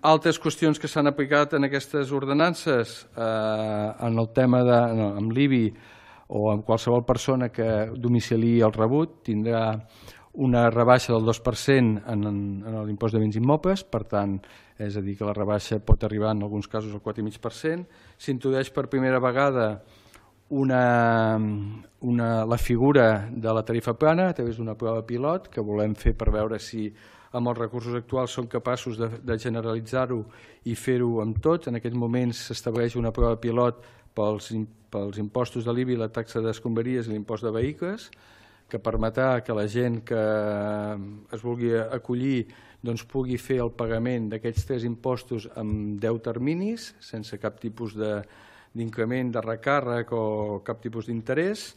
Altres qüestions que s'han aplicat en aquestes ordenances, en el tema amb l'IBI o amb qualsevol persona que domiciliï el rebut, tindrà una rebaixa del 2% en l'impost de béns immobles, per tant, és a dir, que la rebaixa pot arribar en alguns casos al 4,5%. S'introdueix per primera vegada la figura de la tarifa plana a través d'una prova pilot que volem fer per veure si amb els recursos actuals som capaços de generalitzar-ho i fer-ho amb tots. En aquests moments s'estableix una prova pilot pels impostos de l'IBI, la taxa d'escombraries i l'impost de vehicles, que permetrà que la gent que es vulgui acollir pugui fer el pagament d'aquests 3 impostos amb 10 terminis, sense cap tipus d'increment, de recàrrec o cap tipus d'interès.